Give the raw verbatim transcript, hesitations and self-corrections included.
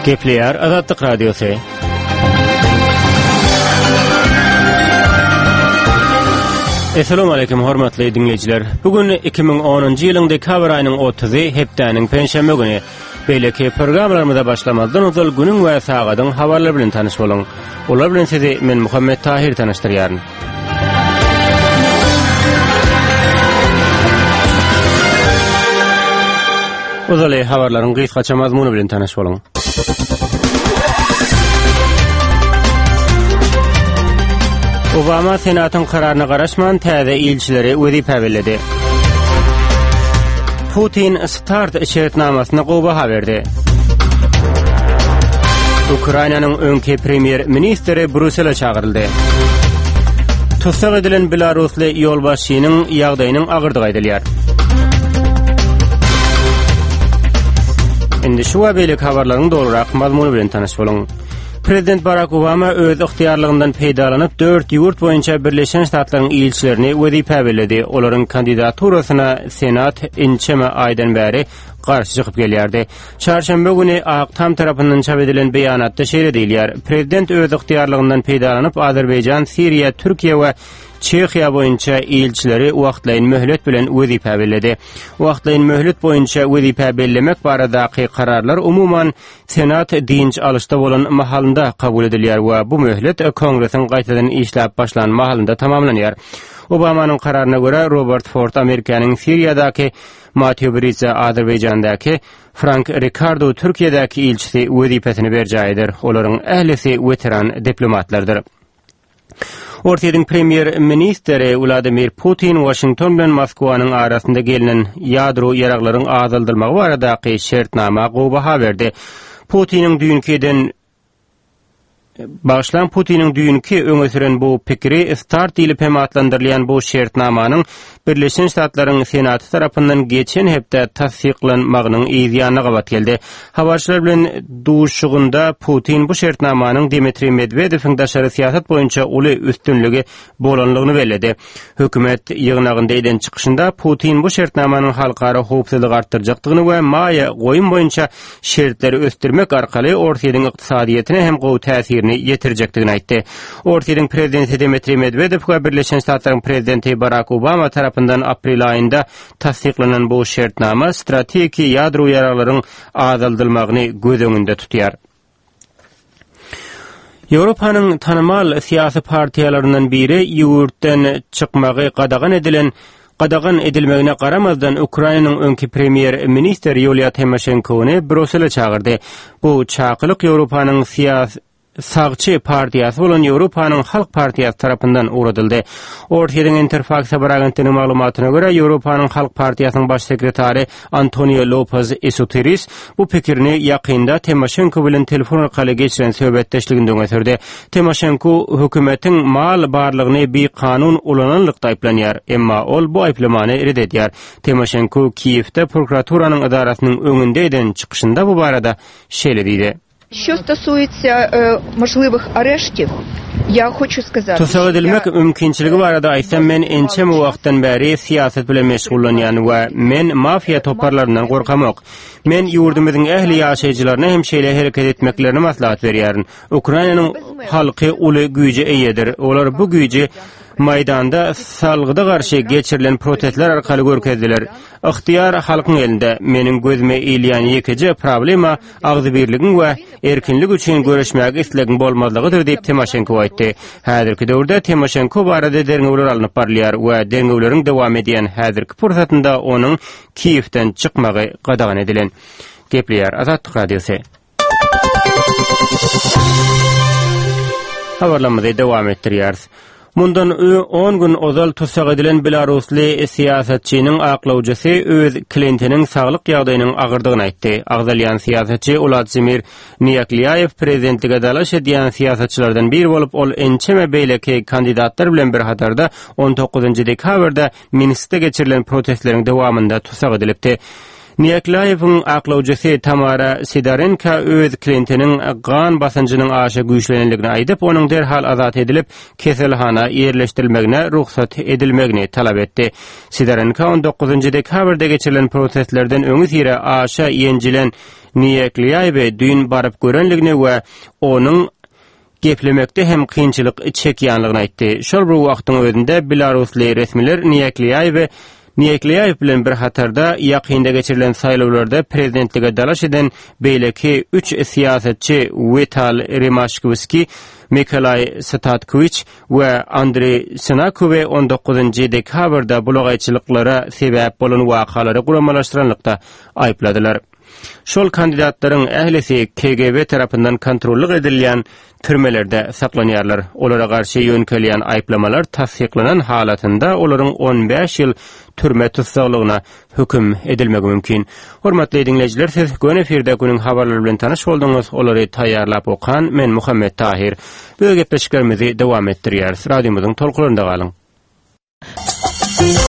Gepleýär Azatlyk Radiosy. Esselamu aleýkum hormatly diňleýjiler. Bu gün iki müň onunjy ýylyň dekabr aýynyň otuzy, hepdäniň penşenbe güni. Beýleki programmalarymyza başlamazdan ozal günüň we sagadyň habarlary bilen tanyş boluň. Olar bilen sizi men Muhammet Tahir tanyşdyrýaryn. Ozaly habarlaryň gysgaça mazmuny bilen tanyş boluň. Obama Senatyň kararyna garaşman täze ilçileri wezipä belledi. Putin START şertnamasyna gowy baha berdi. Ukrainanyň öňki premýer-ministri Brýussele çagyryldy. Tussag edilen belarusly ýolbaşçynyň ýagdaýynyň agyrdygy aýdylýar. Indi şu we beýleki habarlaryň dolurak mazmuny bilen tanyş boluň. Prezident Barak Obama öz ygtyýarlygyndan peýdalanyp, dört ýurt boýunça Birleşen Ştatlaryň ilçilerini wezipä belledi. Olaryň kandidaturasyna Senat ençeme aýdan bäri garşy çykyp gelýärdi. Çarşenbe güni Ak Tam tarapyndan çap edilen beýanatda şeýle diýilýär: Prezident öz ygtyýarlygyndan peýdalanyp, Azerbaýjan, Siriýa, Türkiýe we Çehiýa boýunça ilçileri wagtlaýyn möhlet bilen wezipä belledi. Wagtlaýyn möhlet boýunça wezipä bellemek baradaky kararlar umuman Senat dynç alyşda bolan mahalynda kabul edilýär we bu möhlet Kongresiň gaýtadan işläp başlan mahalynda tamamlanýar. Obamanyň kararyna görä, Robert Ford Amerikanyň Siriýadaky, Matýu Britza Azerbaýjandaky, Frank Rikardo Türkiýedäki ilçisi wezipesini berjaý eder. Olaryň ählisi weteran diplomatlardyr. Orsýetiň premýer-ministri Wladimir Putin Waşington bilen Moskwanyň arasynda gelnen ýadro ýaraglaryň azaldylmagy baradaky şertnama gowy baha berdi. Putiniň düýnki eden Bagyşlaň, Putiniň düýnki öňe süren bu pikiri START diýlip hem atlandyrylýan bu şertnamanyň Birleşen Ştatlaryň Senaty tarapyndan geçen hepde tassyklanmagynyň yz ýanyna gabat geldi. Habarçylar bilen duşuşygynda Putin bu şertnamanyň Dmitriý Medwedewiň daşary syýasat boýunça uly üstünligi bolanlygyny belledi. Hökümet ýygnagynda eden çykyşynda Putin bu şertnamanyň halkara howpsuzlygy artdyrjakdygyny we maýa goýum boýunça şertleri ösdürmek arkaly Orsýetiň ykdysadyýetine hem gowy täsirini ýetirjekdigini aýtdy. Orsýetiň prezidenti Dmitriý Medwedew we Birleşen Ştatlaryň prezidenti Barak Obama tarapyndan aprel aýynda tassyklanan bu şertnama strategiki ýadro ýaraglaryň azaldylmagyny göz öňünde tutýar. Ýewropanyň tanymal syýasy partiýalaryndan biri ýurtdan çykmagy gadagan edilen gadagan edilmegine garamazdan Ukrainanyň öňki premýer-ministri Ýuliýa Timoşenkony Brýussele çagyrdy. Bu çakylyk Ýewropanyň syýasy sagçy partiýasy bolan Ýewropanyň Halk partiýasy tarapyndan ugradyldy. Orsýetiň Interfaks habar agentliginiň maglumatyna görä, Ýewropanyň Halk partiýasynyň baş sekretary Antonio Lopez Esuteris bu pikirini ýakynda Timoşenko bilen telefon arkaly geçiren söhbetdeşliginde öňe sürdi. Timoşenko hökümetiň mal barlygyny bikanun ulananlykda aýyplanýar, emma ol bu aýyplamany ret edýär. Timoşenko Kiýewde prokuraturanyň edarasynyň öňünde eden çykyşynda bu barada şeýle diýdi. Що стосується, e, можливих areştiw, я хочу сказать, Tussag edilmek mümkinçiligi barada aýtsam, men ençeme wagtdan bäri syýasat bilen meşgullanýan we men mafiýa toparlaryndan gorkamok. Men ýurdumyzyň ähli ýaşaýjylaryna hem şeýle hereket etmeklerini maslahat berýärin. Ukrainanyň halky uly güýje eýedir. Olar bu güýji Maýdanda salgyda garşy geçirilen protestler arkaly görkezdiler. Ygtyýar halkyň elinde. Meniň gözüme ilýän ýekeje problema agzybirligiň we erkinlik üçin göreşmäge islegiň bolmazlygydyr diýip Timoşenko aýtdy. Häzirki döwürde Timoşenko barada derňewler alnyp barylýar we derňewleriň dowam edýän häzirki pursatynda onuň Kiýewden çykmagy gadagan edilen. Gepleýär Azatlyk Radiosy. Habarlarymyzy dowam etdirýäris. Mundan on gün ozal tussag edilen belarusly syýasatçynyň aklawjysy öz klientiniň saglyk ýagdaýynyň agyrdygyny aýtdy. Agzalýan syýasatçy Uladzimir Niýaklýaýew prezidentlige dalaş edýän syýasatçylardan biri bolup, ol ençeme beýleki kandidatlar bilen bir hatarda on dokuzynjy dekabrda Minskde geçirilen protestleriň dowamynda tussag edilipdi. Niýaklaýewiň aklawjysy Tamara Sidorenko öz klientiniň gan basynjynyň aşa güýçlenenligini aýdyp, onuň derhal azat edilip, keselhana ýerleşdirilmegine rugsat edilmegini talap etdi. Sidorenko on dokuzynjy dekabrda geçirilen protestlerden öňüsyra aşa ýenjilen Niýaklaýewi düýn baryp görenligini we onuň geplemekde hem kynçylyk çekýänligini aýtdy. Şol bir wagtyň özünde belarusly resmiler Niýaklaýewi Niýaklaýew bilen bir hatarda ýakynda geçirilen saýlawlarda prezidentlige dalaş eden beýleki üç syýasatçy Wital Rimaşkowski, Mikolaý Statkowiç we Andreý Senakowy on dokuzynjy dekabrda bulagaýçylyklara sebäp bolan wakalary guramalaşdyranlykda aýypladylar. Şol kandidatlaryň ählisi K G B tarapyndan kontrollyk edilýän türmelerde saklanýarlar. Olara garşy ýönkelýän aýyplamalar tassyklanan halatynda olaryň on bäş ýyl türme tussaglygyna höküm edilmegi mümkin. Hormatly dinleýjiler, siz göni efirde günüň habarlary bilen tanyş bolduňyz. Olary taýýarlap okan men Muhammet Tahir. Bu gepleşiklerimizi dowam etdirýäris. Radiomyzyň tolkunlarynda galyň.